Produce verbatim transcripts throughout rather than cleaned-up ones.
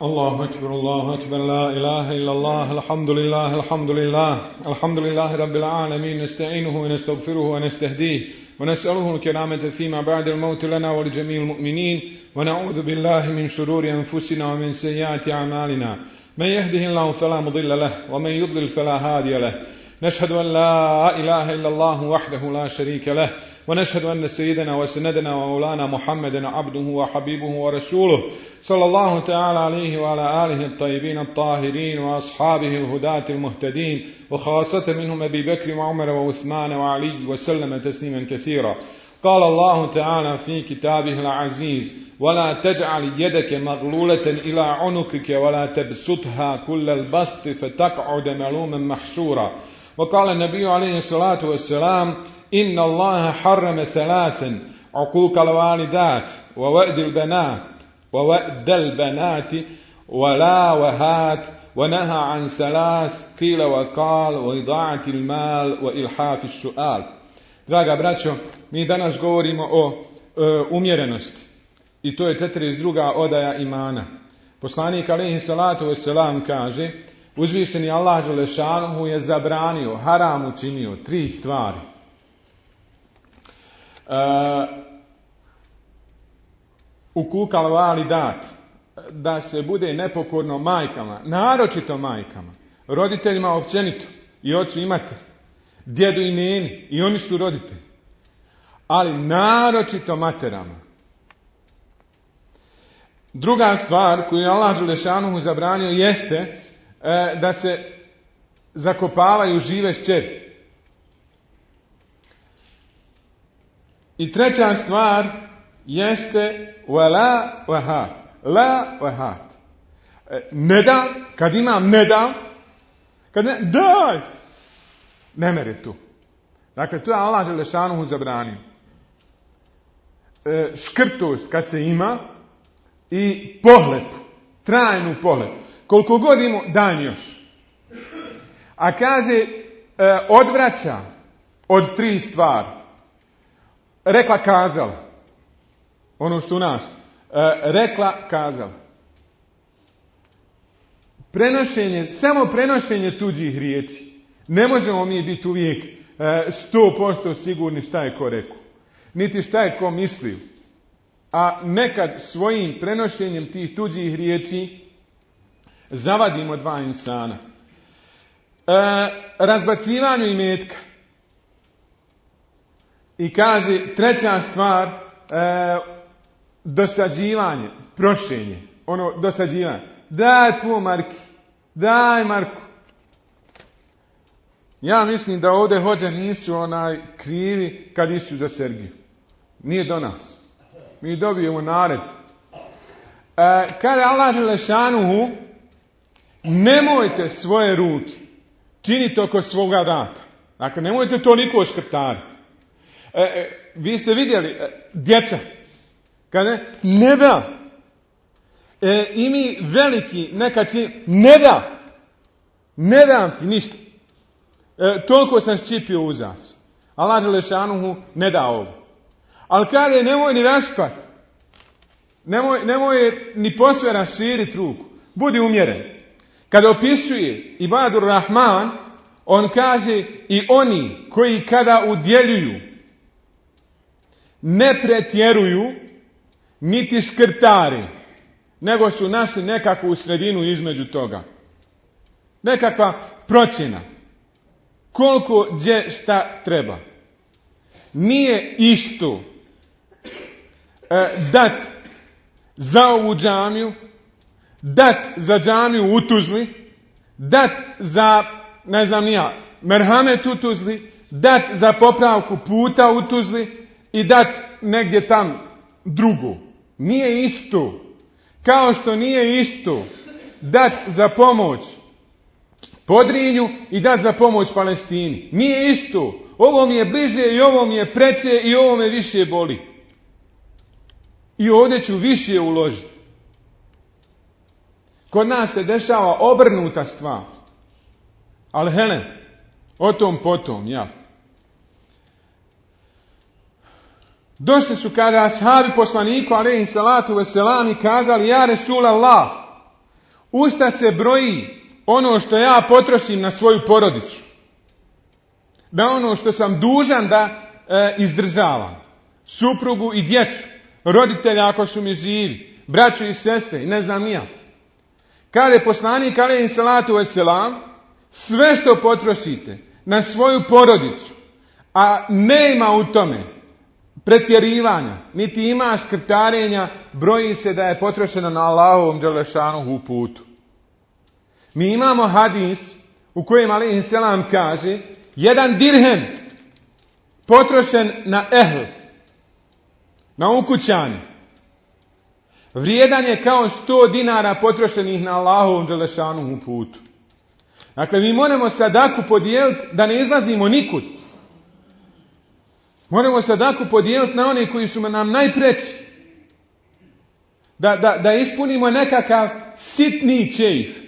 الله أكبر الله أكبر لا إله إلا الله الحمد لله الحمد لله الحمد لله رب العالمين نستعينه ونستغفره ونستهديه ونسأله الكرامة فيما بعد الموت لنا ولجميع المؤمنين ونعوذ بالله من شرور أنفسنا ومن سيئات أعمالنا من يهده الله فلا مضل له ومن يضلل فلا هادي له نشهد أن لا إله إلا الله وحده لا شريك له ونشهد أن سيدنا وسندنا ومولانا محمدا عبده وحبيبه ورسوله صلى الله تعالى عليه وعلى آله الطيبين الطاهرين وأصحابه الهداة المهتدين وخاصة منهم أبي بكر وعمر وعثمان وعلي وسلم تسليما كثيرا. قال الله تعالى في كتابه العزيز ولا تجعل يدك مغلولة إلى عنقك ولا تبسطها كل البسط فتقعد ملوما محسورا. وقال النبي عليه الصلاة والسلام إن الله حرم ثلاثا عقوق الوالدات ووأد البنات ووأد البنات ولا وهات ونهى عن ثلاث قيل وقال وإضاعة المال وإلحاف السؤال. Draga braćo, mi danas govorimo o e, umjerenosti i to je četrdeset druga odaja imana. Poslanik alejhi salatu vesselam kaže: uzvišeni Allah dželešanuhu je zabranio, haram učinio tri stvari. Uh, ukukal validat, da se bude nepokorno majkama, naročito majkama, roditeljima općenito, i ocu i mater, djedu i neni, i oni su roditelji, ali naročito materama. Druga stvar koju je Allah dželešanuhu zabranio jeste uh, da se zakopavaju žive šćeri. I treća stvar jeste wala wahat. La wahat. Ne da, kad imam ne da, kad ne, daj! Ne mere tu. Dakle, to je Allah dželešanuhu zabranio. E, škrtost kad se ima i pohlepu, trajnu pohlepu. Koliko god imamo, daj još. A kaže, e, odvraća od tri stvari. Rekla kazala. Ono što u nas. E, rekla kazala. Prenošenje, samo prenošenje tuđih riječi. Ne možemo mi biti uvijek sto posto sigurni šta je ko rekao. Niti šta je ko mislio. A nekad svojim prenošenjem tih tuđih riječi zavadimo dva insana. E, razbacivanju imetka. I kaže, treća stvar, e, dosađivanje, prošenje, ono, dosađivanje. Daj po Marki, daj Marku. Ja mislim da ovdje hođe nisu onaj krivi kad išu za Sergiju. Nije do nas. Mi dobijemo nared. E, kada Allah dželešanuhu, nemojte svoje ruke činiti oko svoga vrata. Dakle, nemojte to niko škrtariti. E, e, vi ste vidjeli, e, djeca, kada ne da, e, i mi veliki nekad čini, ne da, ne dam ti ništa. E, toliko sam ščipio uzas. Allah dželešanuhu ne da ovo. Ali kada nemoj ni raspat, nemoj, nemoj ni posve raširiti ruku, budi umjeren. Kada opisuje Ibadur Rahman, on kaže i oni koji kada udjeljuju, ne pretjeruju, niti škrtari, nego su našli nekakvu sredinu između toga. Nekakva procjena. Koliko gdje šta treba. Nije isto e, dat za ovu džamiju, dat za džamiju u Tuzli, dat za, ne znam nija, merhamet u Tuzli, dat za popravku puta u Tuzli i dat negdje tam drugo. Nije isto. Kao što nije isto dat za pomoć Podrinju i dat za pomoć Palestini. Nije isto. Ovo mi je bliže i ovo mi je preče i ovo me više boli. I ovdje ću više uložiti. Kod nas se dešava obrnuta stvar. Ali hele, o tom potom, ja. Došli su kada ashabi poslaniku alejhi salatu vesselam i kazali: ja Resulallah, usta se broji ono što ja potrošim na svoju porodicu. Da ono što sam dužan da e, izdržavam. Suprugu i djecu, roditelja ako su mi živi, braću i sestre i ne znam ni ja. Kaže poslanik alejhi salatu vesselam, sve što potrošite na svoju porodicu, a nema u tome pretjerivanja, niti ima škrtarenja, broji se da je potrošeno na Allahovom dželešanuhu putu. Mi imamo hadis u kojem alejhi selam kaže: jedan dirhem potrošen na ehl, na ukućane, vrijedan je kao sto dinara potrošenih na Allahovom dželešanuhu putu. Dakle, mi moramo sadaku podijeliti da ne izlazimo nikud. Moramo sadaku podijeliti na one koji su nam najpreći. Da, da, da ispunimo nekakav sitni čejf e,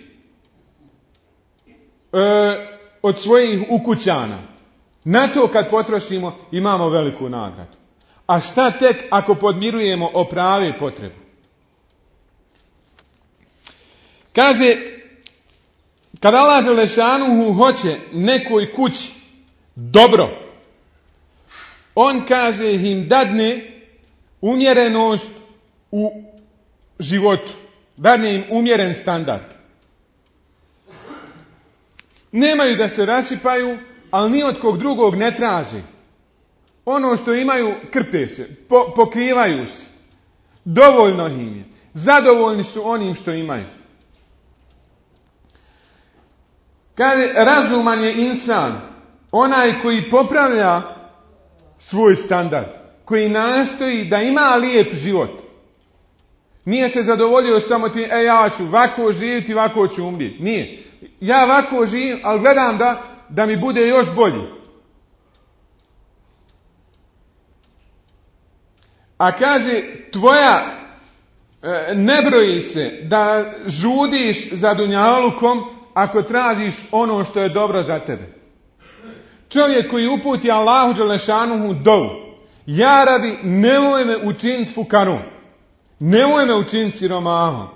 od svojih ukućana. Na to kad potrošimo imamo veliku nagradu. A šta tek ako podmirujemo o prave potrebe? Kaže, kad Allah dželešanuhu hoće nekoj kući dobro, on kaže im dadne umjerenost u životu. Dadne im umjeren standard. Nemaju da se rasipaju, ali ni od kog drugog ne traže. Ono što imaju krpe se, po, pokrivaju se. Dovoljno im je. Zadovoljni su onim što imaju. Kaže, razuman je insan, onaj koji popravlja svoj standard, koji nastoji da ima lijep život. Nije se zadovoljio samo ti, e ja ću ovako živjeti, ovako ću umrijeti. Nije. Ja ovako živim, ali gledam da, da mi bude još bolji. A kaže, tvoja e, ne broji se da žudiš za dunjalukom ako tražiš ono što je dobro za tebe. Čovjek koji uputi Allahu dželešanuhu dovu: ja rabi, nemoj me učiniti fukarom, nemoj me učiniti siromahom,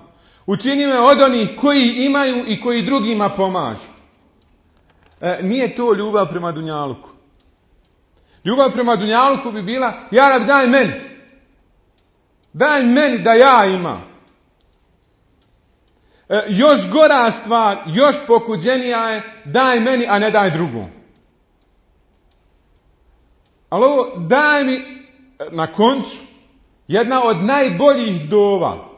učini me od onih koji imaju i koji drugima pomažu. E, nije to ljubav prema dunjaluku. Ljubav prema dunjaluku bi bila: ja rabi, daj meni, daj meni da ja imam. E, još gora stvar, još pokuđenija je: daj meni, a ne daj drugom. Ali ovo daj mi, na koncu, jedna od najboljih dova.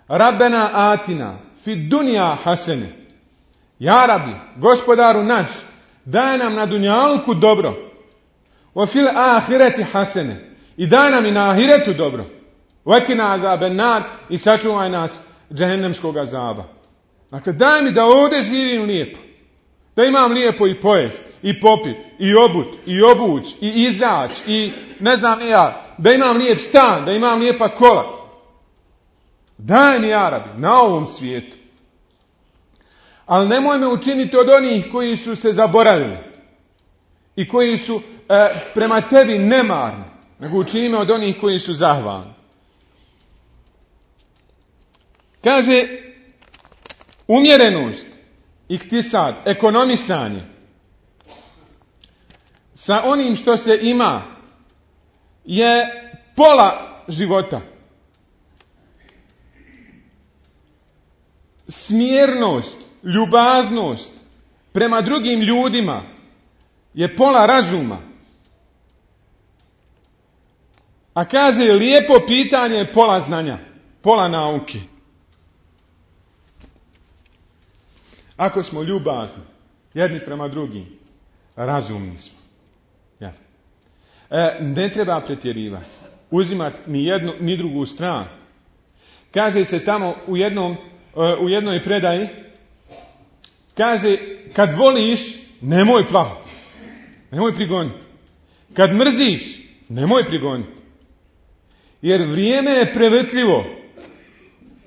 Rabbena atina fi dunja hasene. Ja Rabbi, gospodaru naš, daj nam na dunjaluku dobro. Wa fil ahireti hasene. I daj nam i na ahiretu dobro. Vekina azaben nar, i sačuvaj nas džehennemskog azaba. Dakle, daj mi da ovdje živim lijepo. Da imam lijepo i pojest, i popit, i obut, i obuć, i izać, i ne znam ja, da imam lijep stan, da imam lijepa kola. Daj mi, ja Rabbi, na ovom svijetu. Ali nemoj me učiniti od onih koji su se zaboravili i koji su e, prema tebi nemarni, nego učini me od onih koji su zahvalni. Kaže, umjerenost, iktisad, ekonomisanje sa onim što se ima je pola života. Smjernost, ljubaznost prema drugim ljudima je pola razuma. A kaže, lijepo pitanje je pola znanja, pola nauke. Ako smo ljubazni jedni prema drugim, razumni smo. Ja. E, ne treba pretjerivati, uzimati ni jednu ni drugu stranu. Kaže se tamo u jednom u jednoj predaji, kaže, kad voliš, nemoj plahati, nemoj prigoniti. Kad mrziš, nemoj prigoniti. Jer vrijeme je prevrtljivo.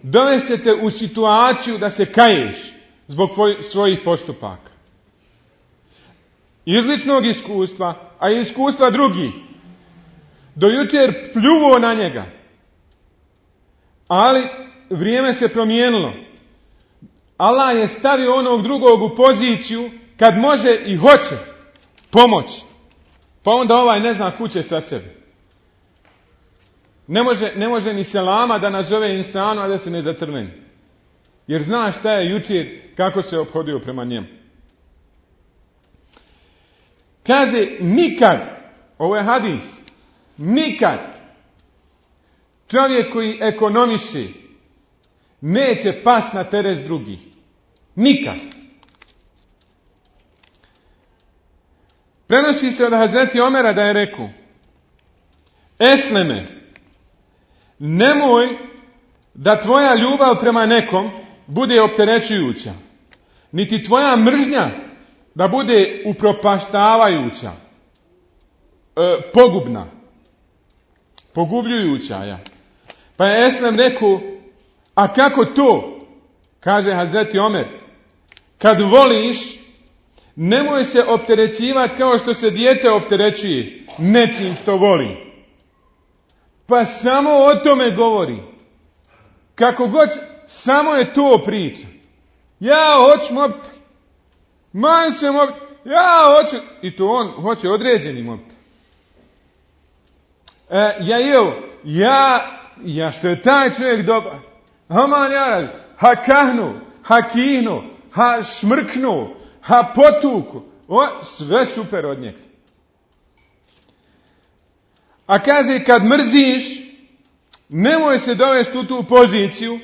dovest će te u situaciju da se kaješ zbog svojih postupaka. Iz ličnog iskustva, a i iskustva drugih. Do jučer pljuvo na njega. Ali vrijeme se promijenilo. Allah je stavio onog drugog u poziciju kad može i hoće pomoći. Pa onda ovaj ne zna kuće sa sebe. Ne može, ne može ni selama da nazove insanu, a da se ne zatrveni. Jer zna šta je jučer, kako se ophodio prema njemu. Kaže, nikad, ovo je hadis, nikad čovjek koji ekonomiše neće past na teret drugih. Nikad. Prenosi se od Hazreti Omera da je rekao: Esleme, nemoj da tvoja ljubav prema nekom bude opterećujuća, niti tvoja mržnja da bude upropaštavajuća, e, pogubna, pogubljujuća. Ja. Pa je Eslem rekao: a kako to? Kaže Hazreti Omer: kad voliš, nemoj se opterećivati kao što se dijete opterećuje nečim što voli. Pa samo o tome govori. Kako god, samo je to priča. Ja hoću mobitel. Man se mobitel. Ja hoću. I to on hoće određeni mobitel. E, ja evo, ja, ja što je taj čovjek dobar. Aman ja radi. Ha kahnu, ha kihnu, ha šmrknu, ha potuku. O, sve super od njega. A kaže, kad mrziš, nemoj se dovesti u tu poziciju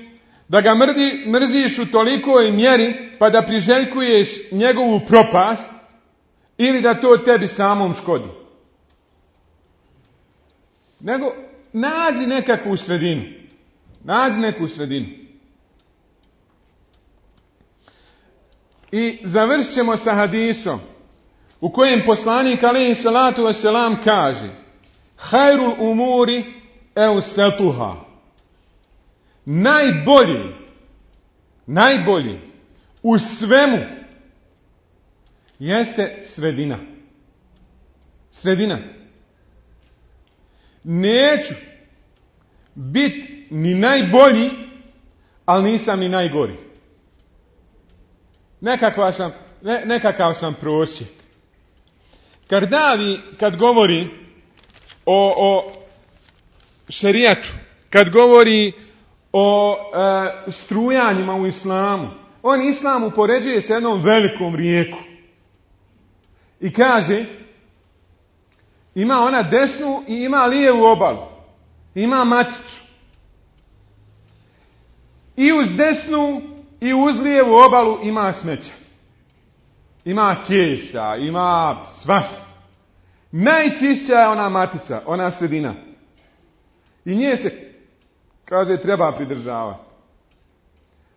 da ga mrdi, mrziš u tolikoj mjeri pa da priželjkuješ njegovu propast ili da to tebi samom škodi. Nego nađi nekakvu sredinu. Nađi neku sredinu. I završit ćemo sa hadisom u kojem poslanik alejhi salatu vesselam kaže: Hajrul umuri eusatuha. Najbolji, najbolji u svemu jeste sredina. Sredina. Neću biti ni najbolji, ali nisam ni najgori. Nekakav sam, ne, nekakav sam prosjek. Kardavi kad govori o, o šerijatu, kad govori o e, strujanjima u islamu, on islam upoređuje s jednom velikom rijeku. I kaže, ima ona desnu i ima lijevu obalu. Ima maticu. I uz desnu i uz lijevu obalu ima smeća. Ima kesa, ima svašta. Najčišća je ona matica, ona sredina. I nje se, kaže, treba pridržavati.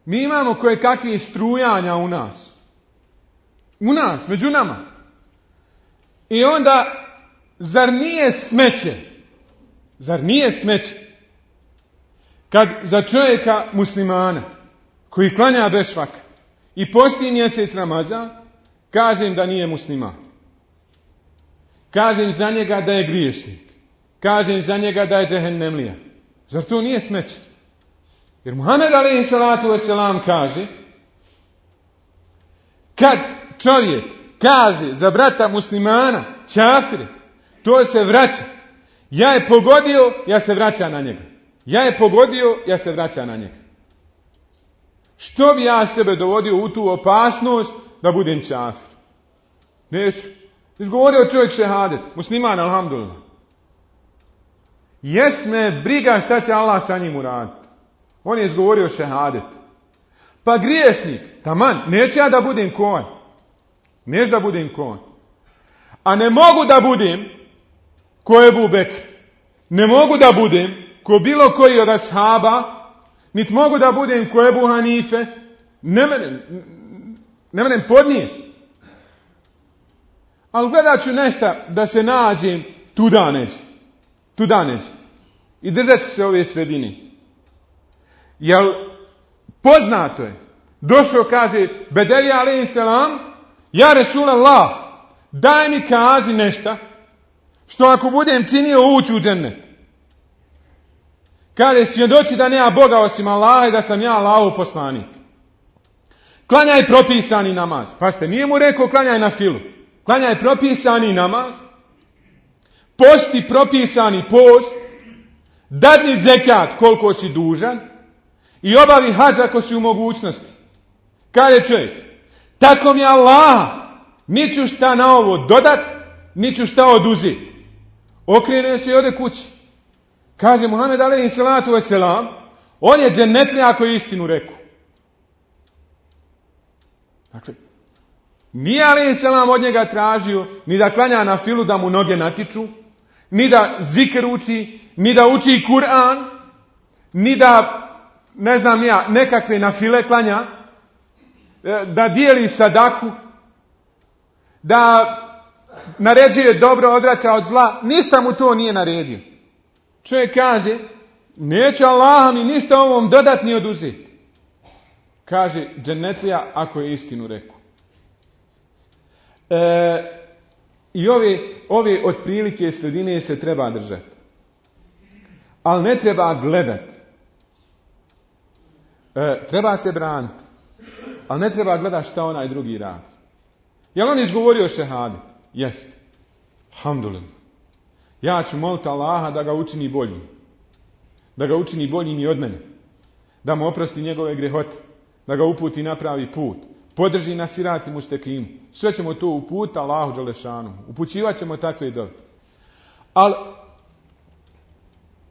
Mi imamo koje kakve strujanja u nas. U nas, među nama. I onda, zar nije smeće? Zar nije smeće? Kad za čovjeka muslimana, koji klanja bešvak i posti mjesec Ramazan, kažem da nije musliman. Kažem za njega da je griješnik. Kažem za njega da je džehennemlija. Zar to nije smeće? Jer Muhammed alejhi salatu vesselam kaže, kad čovjek kaže za brata muslimana, čafire, to se vraća. Ja je pogodio, ja se vraća na njega. Ja je pogodio, ja se vraća na njega. Što bi ja sebe dovodio u tu opasnost da budem čafir? Neću. Izgovorio čovjek šehadet, musliman, alhamdulillah. Jes me briga šta će Allah sa njim uraditi. On je izgovorio šehadet. Pa griješnik, taman, neću ja da budem ko on. Neću da budem ko on. A ne mogu da budem ko Ebu Bekr. Ne mogu da budem ko bilo koji od ashaba, niti mogu da budem ko Ebu Hanife. Ne menem, ne menem podnijeti. Ali gledat ću nešto da se nađem tuda neće. Tuda neće. I držat ću se ove sredine. Jel Poznato je. Došao, kaže, Bedelija alejhi selam, ja Resulallah, daj mi kazi nešto, što ako budem činio ući u džennet. Kaže, svjedoči da nema Boga osim Allaha i da sam ja Allahov poslanik. Klanjaj propisani namaz. Pazite, nije mu rekao klanjaj na filu. Klanjaj propisani namaz, posti propisani post, dadni zekat koliko si dužan i obavi hadž ako si u mogućnosti. Kaže čovjek, tako mi Allah, niću šta na ovo dodat, niću šta oduzeti. Okrene se i ode kući. Kaže Muhammed alejhi salatu vesselam, on je džennetlija ako je istinu rekao. Dakle, nije alejhi selam od njega tražio ni da klanja na filu da mu noge natiču, ni da zikr uči, ni da uči Kur'an, ni da, ne znam ja, nekakve na file klanja, da dijeli sadaku, da naređuje dobro, odvraća od zla. Ništa mu to nije naredio. Čovjek kaže, neće Allah mi ništa ovom dodat ni oduzeti. Kaže, džennetlija ako je istinu rekao. E, I ove, ove otprilike sredine se treba držati. Ali ne treba gledati. E, treba se braniti. Ali ne treba gledati šta onaj drugi radi. Jel on izgovorio šehadet? Jeste. Alhamdulillah. Ja ću moliti Allaha da ga učini boljim. Da ga učini boljim i od mene. Da mu oprosti njegove grehote. Da ga uputi na pravi put. Podrži na sirati mustekimu. Sve ćemo to uputiti Allahu dželešanu. Upućivat ćemo takve dove. Ali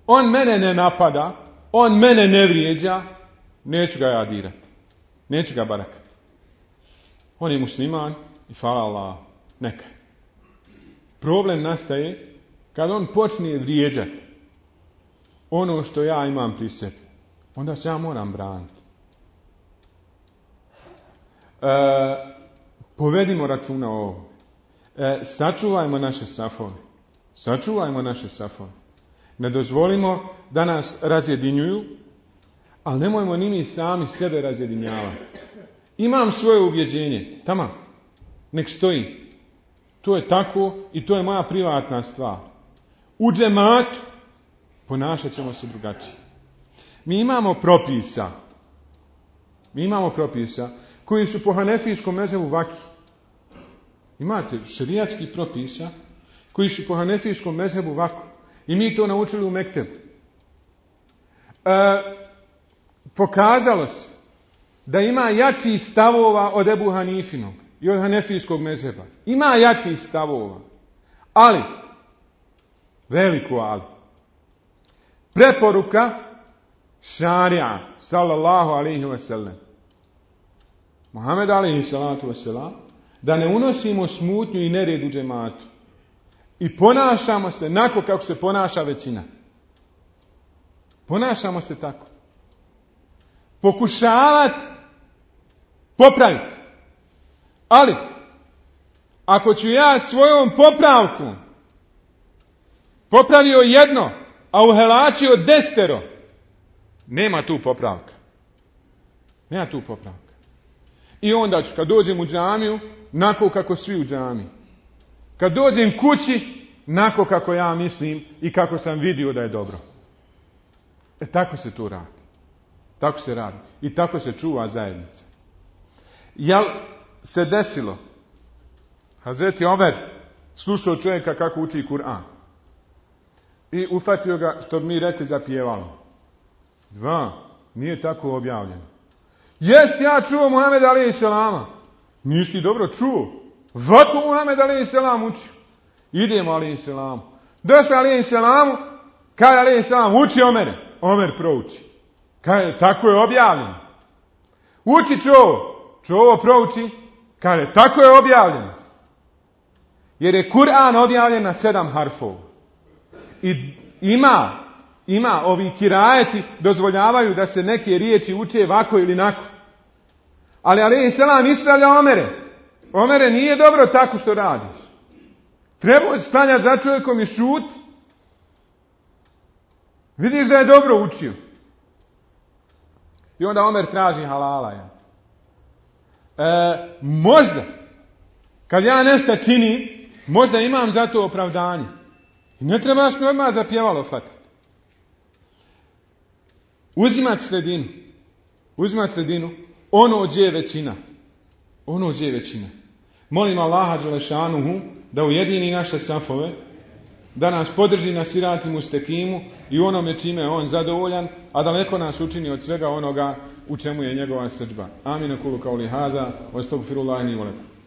on mene ne napada. On mene ne vrijeđa. Neću ga ja dirati. Neću ga barakati. On je musliman i hvala Allah. Neka. Problem nastaje kad on počne vrijeđati ono što ja imam pri sebi. Onda se ja moram braniti. E, povedimo računa o ovom. E, sačuvajmo naše safove. Sačuvajmo naše safove. Ne dozvolimo da nas razjedinjuju, ali nemojmo ni mi sami sebe razjedinjavati. Imam svoje ubjeđenje. Tamam. Nek stoji. To je tako i to je moja privatna stvar. U džematu ponašat ćemo se drugačije. Mi imamo propisa. Mi imamo propisa koji su po hanefijskom mezhebu vaki. Imate šerijatskih propisa koji su po hanefijskom mezhebu vaki. I mi to naučili u mektebu. E, pokazalo se da ima jači stavova od Ebu Hanifinog i od hanefijskog mezheba. Ima jačih stavova. Ali, veliko ali, preporuka šarija, sallallahu alaihi wa sallam, Muhammed alaihi salatu wa sallam, da ne unosimo smutnju i nered u džematu. I ponašamo se onako kako se ponaša većina. Ponašamo se tako. Pokušavati popraviti. Ali, ako ću ja svojom popravkom popravio jedno, a uhelačio desetero, nema tu popravka. Nema tu popravka. I onda ću, kad dođem u džamiju, nako kako svi u džamiji. Kad dođem kući, nako kako ja mislim i kako sam vidio da je dobro. E tako se tu radi. Tako se radi. I tako se čuva zajednica. Jel se desilo? Hazreti Omer slušao čovjeka kako uči Kur'an. I ufatio ga, što bi mi rekli, zapjevalo. Dva, nije tako objavljeno. Jest, ja čuo Muhammed alejhi selama. Nisi ti dobro čuo. Vako Muhammed alejhi selam uči. Idemo alejhi selamu. Došao alejhi selamu, kaj alejhi selam uči Omere. Omer prouči. Kaj, tako je objavljeno. Uči čovo. Čovo prouči. Kaj, tako je objavljeno. Jer je Kur'an objavljen na sedam harfova. I ima, ima ovi kirajeti dozvoljavaju da se neke riječi uče ovako ili nako. Ali alejhi selam ispravlja Omere. Omere, nije dobro tako što radiš. Treba stanjati za čovjekom i šut. Vidiš da je dobro učio. I onda Omer traži halala. Ja. E, možda, kad ja nešto činim, možda imam za to opravdanje. I ne trebaš mi odmah zapjevalo hvatati. Uzimati sredinu. Uzimati sredinu. Ono gdje je većina. Ono gdje je većina. Molim Allaha dželešanuhu da ujedini naše safove, da nas podrži na sirati mustekimu i onome čime je on zadovoljan, a daleko nas učini od svega onoga u čemu je njegova srdžba. Amin, kulu kauli hada, wa astagfirullahi li wa lakum.